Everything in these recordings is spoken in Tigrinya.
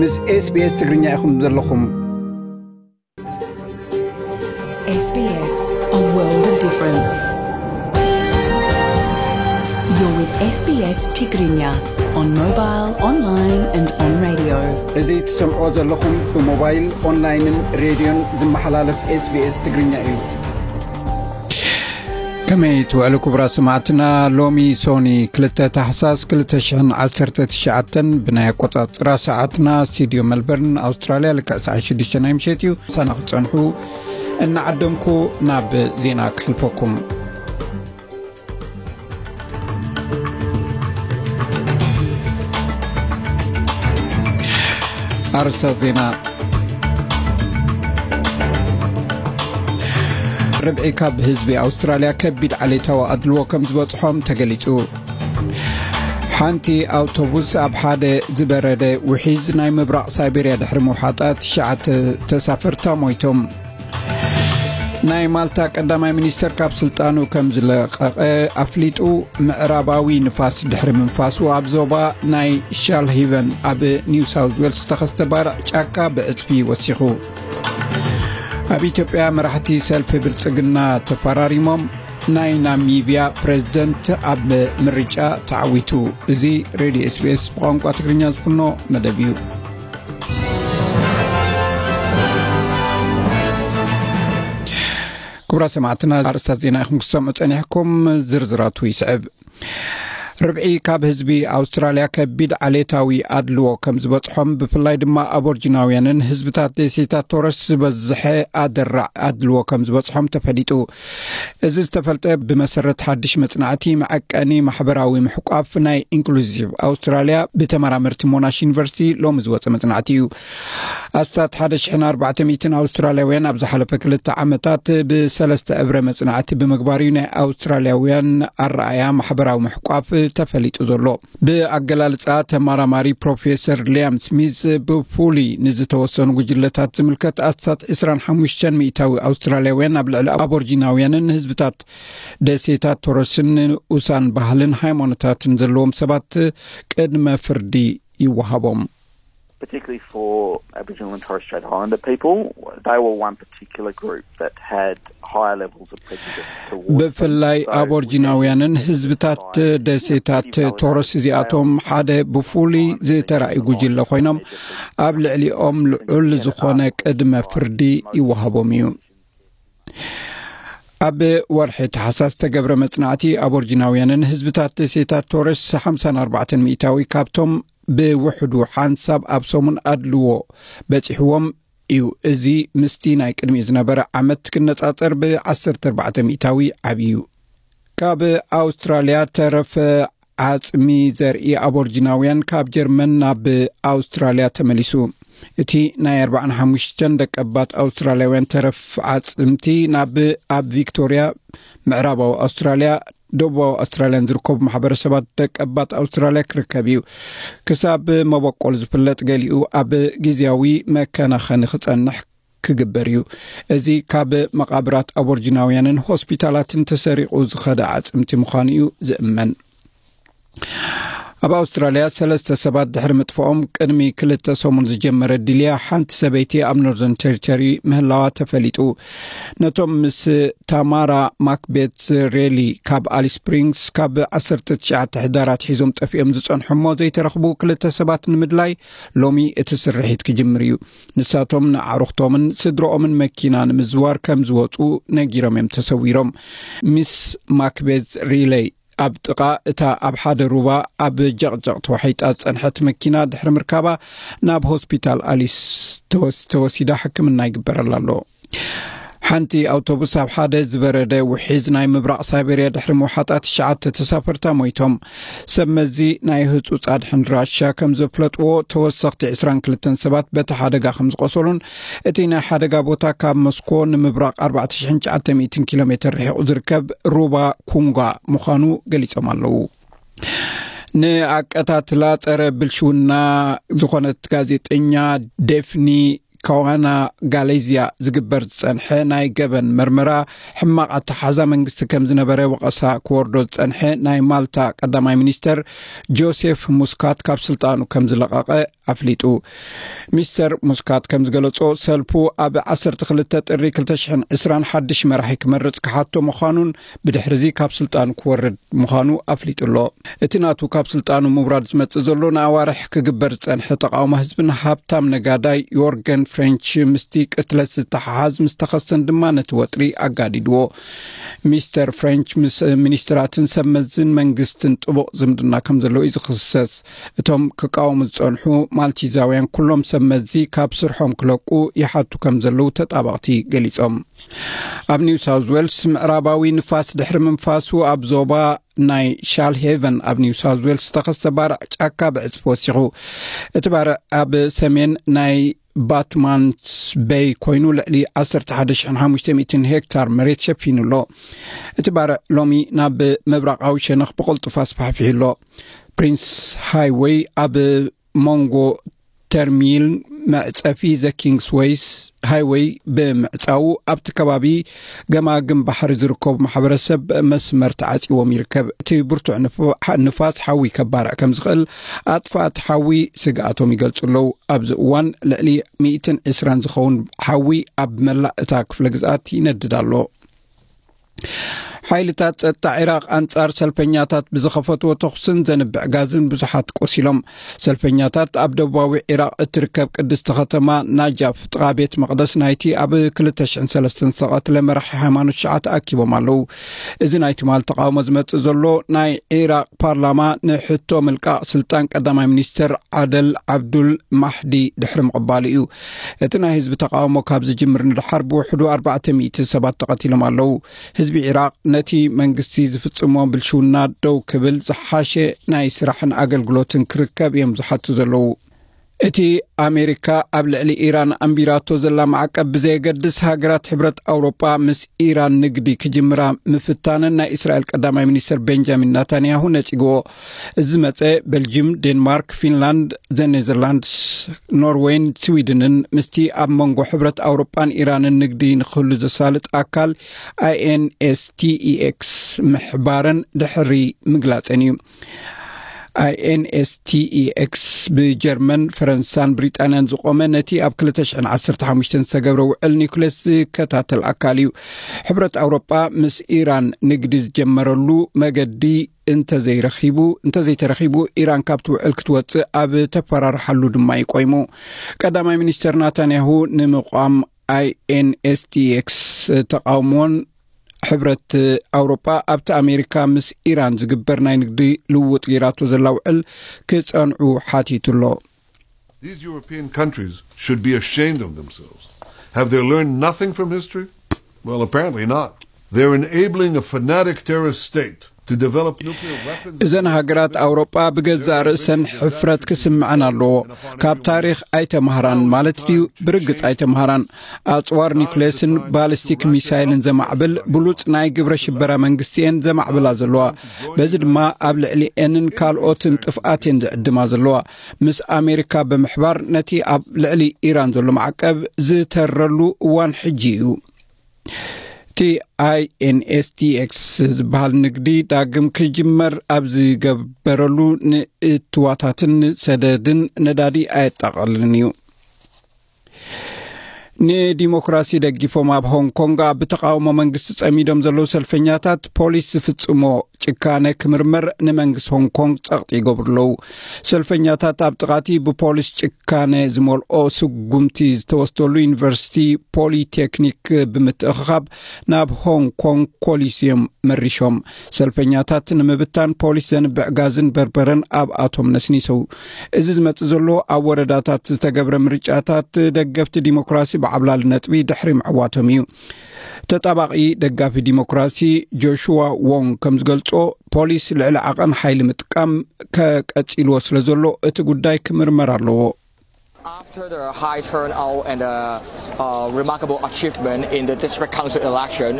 ምስ SBS ትግርኛ ኢኹም ዘለኹም። S B S, a world of difference. You're with S B S Tigrinya on mobile, online and on radio. እዚ ትሰምዖ ዘለኹም ብሞባይል፣ ኦንላይንን ሬድዮን ዝመሓላለፍ SBS ትግርኛ እዩ። ከመይ ትውዕሉ ክቡራት ሰማዕትና? ሎሚ ሶኒ ክልተ ታሕሳስ ክልተ ሽሕን ዓሰርተ ትሽዓተን ብናይ ኣቆጻጽራ ሰዓትና ስቱድዮ መልበርን ኣውስትራልያ ልክዕ ሰዓት ሽዱሽተ ናይ ምሸት እዩ። ሳና ክትጸንሑ እናዓደምኩ ናብ ዜና ክሕልፈኩም። ኣርእስታት ዜና። ርብዒ ካብ ህዝቢ ኣውስትራልያ ከቢድ ዓሌታዊ ኣድልዎ ከም ዝበጽሖም ተገሊጹ። ሓንቲ ኣውቶቡስ ኣብ ሓደ ዝበረደ ውሒዝ ናይ ምብራቕ ሳይቤርያ ድሕሪ ምውሓጣ ትሽዓተ ተሳፈርታ ሞይቶም። ናይ ማልታ ቀዳማይ ሚኒስተር ካብ ስልጣኑ ከም ዝለቐቐ ኣፍሊጡ። ምዕራባዊ ንፋስ ድሕሪ ምንፋሱ ኣብ ዞባ ናይ ሻልሂቨን ኣብ ኒው ሳውዝ ዌልስ ዝተኸስተ ባርዕ ጫካ ብዕጽፊ ወሲኹ። ኣብ ኢትዮጵያ መራሕቲ ሰልፊ ብልጽግና ተፈራሪሞም። ናይ ናሚብያ ፕሬዝደንት ኣብ ምርጫ ተዓዊቱ። እዚ ሬድዮ SBS ብቋንቋ ትግርኛ ዝፍኖ መደብ እዩ። ክቡራት ሰማዕትና፣ ኣርእስታት ዜና ኢኹም ክሰምዑ ጸኒሕኩም። ዝርዝራቱ ይስዕብ። ርብዒ ካብ ህዝቢ ኣውስትራልያ ከቢድ ዓሌታዊ ኣድልዎ ከም ዝበጽሖም፣ ብፍላይ ድማ ኣቦርጂናውያንን ህዝብታት ደሴታት ቶረስ ዝበዝሐ ኣደራዕ ኣድልዎ ከም ዝበጽሖም ተፈሊጡ። እዚ ዝተፈልጠ ብመሰረት ሓድሽ መጽናዕቲ መዐቀኒ ማሕበራዊ ምሕቋፍ ናይ ኢንክሉዚቭ ኣውስትራልያ ብተመራመርቲ ሞናሽ ዩኒቨርሲቲ ሎሚ ዝወጸ መጽናዕቲ እዩ። ኣስታት ሓደ ሽሕን ኣርባዕተ ሚእትን ኣውስትራልያውያን ኣብ ዝሓለፈ ክልተ ዓመታት ብሰለስተ እብረ መጽናዕቲ ብምግባር እዩ ናይ ኣውስትራልያውያን ኣረኣያ ማሕበራዊ ምሕቋፍ ተፈሊጡ ዘሎ። ብኣገላልጻ ተመራማሪ ፕሮፌሰር ሊያም ስሚዝ፣ ብፍሉይ ንዝተወሰኑ ጉጅለታት ዝምልከት ኣስታት ዕስራን ሓሙሽተን ሚእታዊ ኣውስትራልያውያን ኣብ ልዕሊ ኣቦርጂናውያንን ህዝብታት ደሴታት ቶረስን ንኡሳን ባህልን ሃይማኖታትን ዘለዎም ሰባት ቅድመ ፍርዲ ይወሃቦም። particularly for Aboriginal and Torres Strait Islander people, they were one particular group that had higher levels of prejudice towards ብፍላይ ኣቦርጂናውያንን ህዝብታት ደሴታት ቶረስ እዚኣቶም ሓደ ብፍሉይ ዝተራእዩ ጉጅለ ኮይኖም፣ ኣብ ልዕሊኦም ልዑል ዝኾነ ቅድመ ፍርዲ ይወሃቦም እዩ። ኣብ ወርሒ ተሓሳስ ዝተገብረ መጽናዕቲ፣ ኣቦርጂናውያንን ህዝብታት ደሴታት ቶረስ ሓምሳን ኣርባዕተን ሚእታዊ ካብቶም ብውሕዱ ሓንሳብ ኣብ ሰሙን ኣድልዎ በጺሕዎም እዩ። እዚ ምስቲ ናይ ቅድሚኡ ዝነበረ ዓመት ክነጻጸር ብ ዓሰርተ ኣርባዕተ ሚእታዊ ዓብዩ። ካብ ኣውስትራልያ ተረፈ ዓጽሚ ዘርኢ ኣቦርጂናውያን ካብ ጀርመን ናብ ኣውስትራልያ ተመሊሱ። እቲ ናይ ኣርባዓን ሓሙሽተን ደቀባት ኣውስትራልያውያን ተረፍ ዓጽምቲ ናብ ኣብ ቪክቶርያ፣ ምዕራባዊ ኣውስትራልያ፣ ደቡባዊ ኣውስትራልያን ዝርከቡ ማሕበረሰባት ደቀባት ኣውስትራልያ ክርከብ እዩ። ክሳብ መበቆል ዝፍለጥ፣ ገሊኡ ኣብ ግዝያዊ መከናኸኒ ክጸንሕ ክግበር እዩ። እዚ ካብ መቓብራት ኣቦርጂናውያንን ሆስፒታላትን ተሰሪቑ ዝኸደ ዓጽምቲ ምዃኑ እዩ ዝእመን። ኣብ ኣውስትራልያ ሰለስተ ሰባት ድሕሪ ምጥፍኦም ቅድሚ ክልተ ሰሙን ዝጀመረ ድልያ ሓንቲ ሰበይቲ ኣብ ኖርዘርን ቴሪቶሪ ምህላዋ ተፈሊጡ። ነቶም ምስ ታማራ ማክቤት ሬሊ ካብ ኣሊስ ስፕሪንግስ ካብ ዓሰርተ ትሽዓተ ሕዳር ኣትሒዞም ጠፊኦም ዝጸንሑ እሞ ዘይተረኽቡ ክልተ ሰባት ንምድላይ ሎሚ እቲ ስርሒት ክጅምር እዩ። ንሳቶም ንኣዕሩኽቶምን ስድረኦምን መኪና ንምዝዋር ከም ዝወጹ ነጊሮም እዮም ተሰዊሮም። ሚስ ማክቤት ሪለይ ኣብ ጥቓ እታ ኣብ ሓደ ሩባ ኣብ ጀቕጀቕ ተዋሒጣ ዝጸንሐት መኪና ድሕሪ ምርካባ ናብ ሆስፒታል ኣሊስ ተወስ-፣ ተወሲዳ ሕክምና ይግበረላ ኣሎ። ሓንቲ ኣውቶቡስ ኣብ ሓደ ዝበረደ ውሒዝ ናይ ምብራቕ ሳይቤርያ ድሕሪ ምውሓጣ ትሽዓተ ተሳፈርታ ሞይቶም። ሰብ መዚ ናይ ህጹጽ ኣድሕን ራሻ ከም ዘፍለጥዎ፣ ተወሰኽቲ ዕስራን ክልተን ሰባት በቲ ሓደጋ ከም ዝቖሰሉን እቲ ናይ ሓደጋ ቦታ ካብ ሞስኮ ንምብራቕ ኣርባዕተ ሽሕን ትሽዓተ ሚእትን ኪሎ ሜትር ርሒቑ ዝርከብ ሩባ ኩንጓ ምዃኑ ገሊጾም ኣለዉ። ንኣቀታትላ ጸረ ብልሽውና ዝኾነት ጋዜጠኛ ዴፍኒ ካዋና ጋሌዝያ ዝግበር ዝጸንሐ ናይ ገበን መርመራ ሕማቕ ኣተሓዛ መንግስቲ ከም ዝነበረ ወቐሳ ክወርዶ ዝጸንሐ ናይ ማልታ ቀዳማይ ሚኒስተር ጆሴፍ ሙስካት ካብ ስልጣኑ ከም ዝለቐቐ ኣፍሊጡ። ሚስተር ሙስካት ከም ዝገለጾ፣ ሰልፉ ኣብ ዓሰርተ ክልተ ጥሪ ክልተ ሽሕን ዕስራን ሓድሽ መራሒ ክመርጽ ክሓቶ ምዃኑን ብድሕሪ እዚ ካብ ስልጣኑ ክወርድ ምዃኑ ኣፍሊጡ ኣሎ። እቲ ናቱ ካብ ስልጣኑ ምውራድ ዝመጽእ ዘሎ ንኣዋርሕ ክግበር ዝጸንሐ ተቓውሞ ህዝብን ሃብታም ነጋዳይ ዮርገን ፍሬንች ምስቲ ቅትለት ዝተሓሓዝ ምስ ተኸሰን ድማ ነቲ ወጥሪ ኣጋዲድዎ። ሚስተር ፍሬንች ምስ ሚኒስትራትን ሰብ መዝን መንግስትን ጥቡቕ ዝምድና ከም ዘለዎ እዩ ዝኽሰስ። እቶም ክቃወሙ ዝጸንሑ ማልቲዛውያን ኩሎም ሰብ መዚ ካብ ስርሖም ክለቁ ይሓቱ ከም ዘለዉ ተጣባቕቲ ገሊጾም። ኣብ ኒው ሳውዝ ዌልስ ምዕራባዊ ንፋስ ድሕሪ ምንፋሱ ኣብ ዞባ ናይ ሻል ሄቨን ኣብ ኒው ሳውዝ ዌልስ ዝተኸስተ ባርዕ ጫካ ብዕጽፊ ወሲኹ። እቲ ባርዕ ኣብ ሰሜን ናይ ባትማንስ በይ ኮይኑ ልዕሊ ዓሰርተ ሓደ ሽሕን ሓሙሽተ ሚእትን ሄክታር መሬት ሸፊኑ ኣሎ። እቲ ባርዕ ሎሚ ናብ ምብራቓዊ ሸነኽ ብቕልጡፍ ኣስፋሕፊሑ ኣሎ። ፕሪንስ ሃይወይ ኣብ መንጎ ተርሚል መዕጸፊ ዘ ኪንግስ ዌይስ ሃይወይ ብምዕጻዉ ኣብቲ ከባቢ ገማግም ባሕሪ ዝርከቡ ማሕበረሰብ መስመር ተዓጺዎም ይርከብ። እቲ ብርቱዕ ንፍ-፣ ንፋስ ሓዊ ከባርዕ ከም ዝኽእል ኣጥፋእቲ ሓዊ ስግኣቶም ይገልጹ ኣለዉ። ኣብዚ እዋን ልዕሊ ሚእትን ዕስራን ዝኸውን ሓዊ ኣብ መላእ እታ ክፍለ ግዝኣት ይነድድ ኣሎ። ሓይልታት ጸጥታ ዒራቕ ኣንጻር ሰልፈኛታት ብዝኸፈትዎ ተኹስን ዘንብዕ ጋዝን ብዙሓት ቆሲሎም። ሰልፈኛታት ኣብ ደቡባዊ ዒራቕ እትርከብ ቅድስቲ ከተማ ናጃፍ ጥቓ ቤት መቕደስ ናይቲ ኣብ ክልተ ሽሕን ሰለስተን ዝተቐትለ መራሒ ሃይማኖት ሽዓ ተኣኪቦም ኣለዉ። እዚ ናይ ትማል ተቓውሞ ዝመጽእ ዘሎ ናይ ዒራቕ ፓርላማ ንሕቶ ምልቃቕ ስልጣን ቀዳማይ ሚኒስትር ዓደል ዓብዱል ማሕዲ ድሕሪ ምቕባሉ እዩ። እቲ ናይ ህዝቢ ተቓውሞ ካብ ዝጅምር ንድሓር ብውሕዱ ኣርባዕተ ሚእቲ ሰባት ተቐቲሎም ኣለዉ። ህዝቢ ዒራቕ ነቲ መንግስቲ ዝፍጽሞ ብልሽውና ደው ክብል ዝሓሸ ናይ ስራሕን ኣገልግሎትን ክርከብ እዮም ዝሓቱ ዘለዉ። እቲ ኣሜሪካ ኣብ ልዕሊ ኢራን ኣንቢራቶ ዘላ ማዕቀብ ብዘየገድስ፣ ሃገራት ሕብረት ኣውሮጳ ምስ ኢራን ንግዲ ክጅምራ ምፍታነን ናይ እስራኤል ቀዳማይ ሚኒስትር ቤንጃሚን ናታንያሁ ነጺግዎ። እዚ መጸ ቤልጅም፣ ዴንማርክ፣ ፊንላንድ፣ ዘ ኔዘርላንድስ፣ ኖርዌይን ስዊድንን ምስቲ ኣብ መንጎ ሕብረት ኣውሮጳን ኢራንን ንግዲ ንክህሉ ዘሳልጥ ኣካል ኣይኤንኤስቲኢኤክስ ምሕባረን ድሕሪ ምግላጸን እዩ። ኣይኤንኤስቲኢኤክስ ብጀርመን፣ ፈረንሳን ብሪጣንያን ዝቖመ ነቲ ኣብ ክልተ ሽሕን ዓሰርተ ሓሙሽተን ዝተገብረ ውዕል ኒኩሌስ ዝከታተል ኣካል እዩ። ሕብረት ኣውሮጳ ምስ ኢራን ንግዲ ዝጀመረሉ መገዲ እንተዘይረኺቡ፣ እንተዘይተረኺቡ ኢራን ካብቲ ውዕል ክትወጽእ ኣብ ተፈራርሓሉ ድማ ይቆይሙ። ቀዳማይ ሚኒስተር ናታንያሁ ንምቋም ኣይኤንኤስቲኤክስ ተቓውሞን ሕብረት ኣውሮጳ ኣብቲ ኣሜሪካ ምስ ኢራን ዝግበር ናይ ንግዲ ልውውጥ ገይራቶ ዘላ ውዕል ክጸንዑ ሓቲቱ ኣሎ። These European countries should be ashamed of themselves. Have they learned nothing from history? Well, apparently not. They're enabling a fanatic terrorist state to develop nuclear weapons. እዘን ሃገራት ኣውሮጳ ብገዛእ ርእሰን ሕፍረት ክስምዐን ኣለዎ። ካብ ታሪኽ ኣይተማህራን ማለት ድዩ? ብርግጽ ኣይተማህራን። ኣጽዋር ኒውክሌስን ባሊስቲክ ሚሳይልን ዘማዕብል ብሉጽ ናይ ግብረ ሽበራ መንግስቲ እየን ዘማዕብላ ዘለዋ። በዚ ድማ ኣብ ልዕሊኤንን ካልኦትን ጥፍኣት እየን ዝዕድማ ዘለዋ። ምስ ኣሜሪካ ብምሕባር ነቲ ኣብ ልዕሊ ኢራን ዘሎ ማዕቀብ ዝተረሉ እዋን ሕጂ እዩ። እቲ ኣይኤንኤስቲኤክስ ዝበሃል ንግዲ ዳግም ክጅመር ኣብ ዝገበረሉ ንእትዋታትን ሰደድን ነዳዲ ኣየጠቓልልን እዩ። ንዲሞክራሲ ደጊፎም ኣብ ሆንግ ኮንግ ኣብ ተቓውሞ መንግስቲ ጸሚዶም ዘለዉ ሰልፈኛታት ፖሊስ ዝፍጽሞ ጭካነ ክምርመር ንመንግስቲ ሆንግ ኮንግ ጸቕጢ ይገብሩ ኣለዉ። ሰልፈኛታት ኣብ ጥቓቲ ብፖሊስ ጭካነ ዝመልኦ ስጉምቲ ዝተወስደሉ ዩኒቨርሲቲ ፖሊቴክኒክ ብምትእኽኻብ ናብ ሆንግ ኮንግ ኮሊሲየም መሪሾም። ሰልፈኛታት ንምብታን ፖሊስ ዘንብዕ ጋዝን በርበረን ኣብኣቶም ነስኒሶም። እዚ ዝመጽእ ዘሎ ኣብ ወረዳታት ዝተገብረ ምርጫታት ደገፍቲ ዲሞክራሲ ብዓብላሊ ነጥቢ ድሕሪ ምዕዋቶም እዩ። ተጣባቒ ደጋፊ ዲሞክራሲ ጆሹዋ ዎንግ ከም ዝገልጾ፣ ፖሊስ ልዕሊ ዓቐን ሓይሊ ምጥቃም ከቀጺልዎ ስለ ዘሎ እቲ ጉዳይ ክምርመር ኣለዎ። After the high turnout and the uh, remarkable achievement in the district council election,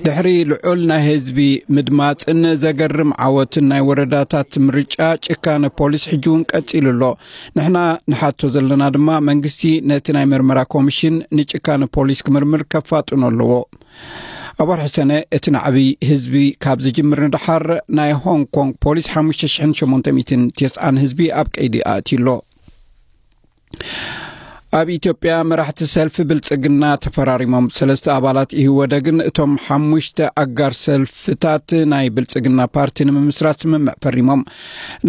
ድሕሪ ልዑል ናይ ህዝቢ ምድማፅን ዘገርም ዓወትን ናይ ወረዳታት ምርጫ፣ ጭካነ ፖሊስ ሕጂ እውን ቀፂሉ ኣሎ። ንሕና ንሓቶ ዘለና ድማ መንግስቲ ነቲ ናይ ምርመራ ኮሚሽን ንጭካነ ፖሊስ ክምርምር ከፋጥኖ ኣለዎ። ኣብ ወርሒ ሰነ እቲ ናዕቢ ህዝቢ ካብ ዝጅምር ንደሓር ናይ ሆንግ ኮንግ ፖሊስ ሓሙሽተ ሽሕን ሸሞንተ ሚእትን ተስዓን ህዝቢ ኣብ ቀይዲ ኣእትዩ ኣሎ። ኣብ ኢትዮጵያ መራሕቲ ሰልፊ ብልጽግና ተፈራሪሞም። ሰለስተ ኣባላት ኢህወደግን እቶም ሓሙሽተ ኣጋር ሰልፍታት ናይ ብልጽግና ፓርቲ ንምምስራት ስምምዕ ፈሪሞም።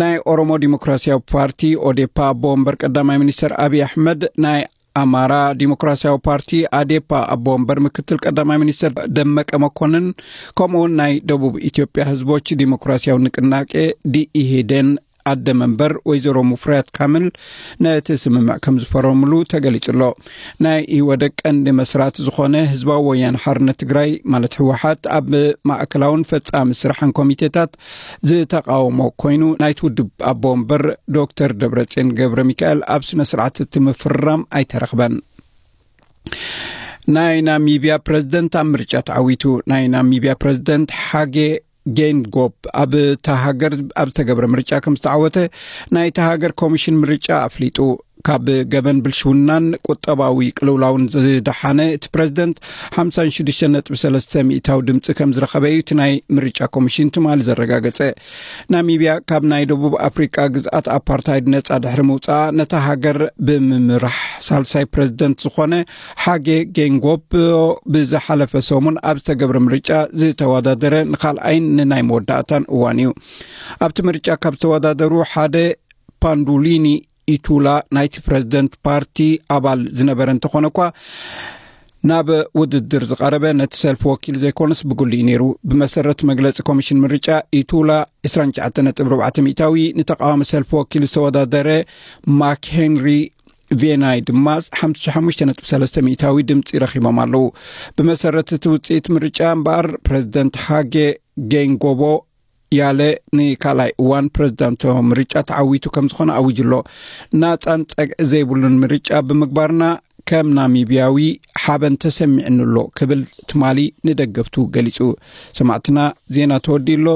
ናይ ኦሮሞ ዲሞክራሲያዊ ፓርቲ ኦዴፓ ኣቦ ወንበር ቀዳማይ ሚኒስትር ኣብይ ኣሕመድ፣ ናይ ኣማራ ዲሞክራሲያዊ ፓርቲ ኣዴፓ ኣቦ ወንበር ምክትል ቀዳማይ ሚኒስትር ደመቀ መኮንን፣ ከምኡውን ናይ ደቡብ ኢትዮጵያ ህዝቦች ዲሞክራሲያዊ ንቅናቄ ዲኢህዴን ኣደ መንበር ወይዘሮ ሙፍሪያት ካምል ነቲ ስምምዕ ከም ዝፈረምሉ ተገሊጹ ኣሎ። ናይ ኢህወደግ ቀንዲ መስራቲ ዝኾነ ህዝባዊ ወያነ ሓርነት ትግራይ ማለት ህወሓት ኣብ ማእከላውን ፈጻሚ ስራሕን ኮሚቴታት ዝተቃወሞ ኮይኑ፣ ናይቲ ውድብ ኣቦ ወንበር ዶክተር ደብረጽዮን ገብረ ሚካኤል ኣብ ስነ ስርዓት እቲ ምፍርራም ኣይተረኽበን። ናይ ናሚብያ ፕረዚደንት ኣብ ምርጫ ተዓዊቱ። ናይ ናሚብያ ፕረዚደንት ሓጌ ጌንጎብ ኣብ እታ ሃገር ኣብ ዝተገብረ ምርጫ ከም ዝተዓወተ ናይታ ሃገር ኮሚሽን ምርጫ ኣፍሊጡ። ካብ ገበን ብልሽውናን ቁጠባዊ ቅልውላውን ዝደሓነ እቲ ፕረዚደንት ሓምሳን ሽዱሽተን ነጥቢ ሰለስተ ሚእታዊ ድምፂ ከም ዝረኸበ እዩ እቲ ናይ ምርጫ ኮሚሽን ትማሊ ዘረጋገጸ። ናሚብያ ካብ ናይ ደቡብ ኣፍሪቃ ግዝኣት ኣፓርታይድ ነጻ ድሕሪ ምውጻኣ፣ ነታ ሃገር ብምምራሕ ሳልሳይ ፕረዚደንት ዝኾነ ሓጌ ጌንጎብ ብዝሓለፈ ሰሙን ኣብ ዝተገብረ ምርጫ ዝተወዳደረ ንኻልኣይን ንናይ መወዳእታን እዋን እዩ። ኣብቲ ምርጫ ካብ ዝተወዳደሩ ሓደ ፓንዱሊኒ ኢቱላ ናይቲ ፕረዚደንት ፓርቲ ኣባል ዝነበረ እንተኾነ እኳ፣ ናብ ውድድር ዝቐረበ ነቲ ሰልፊ ወኪል ዘይኮነስ ብግሉ እዩ ነይሩ። ብመሰረት መግለጺ ኮሚሽን ምርጫ፣ ኢቱላ ዕስራን ትሽዓተን ነጥቢ ኣርባዕተ ሚእታዊ፣ ንተቃዋሚ ሰልፊ ወኪል ዝተወዳደረ ማክ ሄንሪ ቬናይ ድማ ሓምሳ ሓሙሽተ ነጥቢ ሰለስተ ሚእታዊ ድምፂ ረኺቦም ኣለዉ። ብመሰረት እቲ ውፅኢት ምርጫ እምበኣር፣ ፕረዚደንት ሃጌ ጌንጎቦ ያለ ንካልኣይ እዋን ፕረዚዳንታዊ ምርጫ ተዓዊቱ ከም ዝኾነ ኣዊጁ ኣሎ። ናፃን ጸግዒ ዘይብሉን ምርጫ ብምግባርና ከም ናሚብያዊ ሓበን ተሰሚዕኒ ኣሎ ክብል ትማሊ ንደገፍቱ ገሊጹ። ሰማዕትና፣ ዜና ተወዲኡ ኣሎ።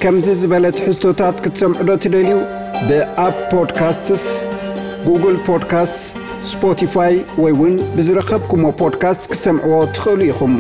ከምዚ ዝበለ ትሕዝቶታት ክትሰምዑ ዶ ትደልዩ? ብኣፕ ፖድካስትስ፣ ጉግል ፖድካስት፣ ስፖቲፋይ ወይ እውን ብዝረኸብኩሞ ፖድካስት ክትሰምዕዎ ትኽእሉ ኢኹም።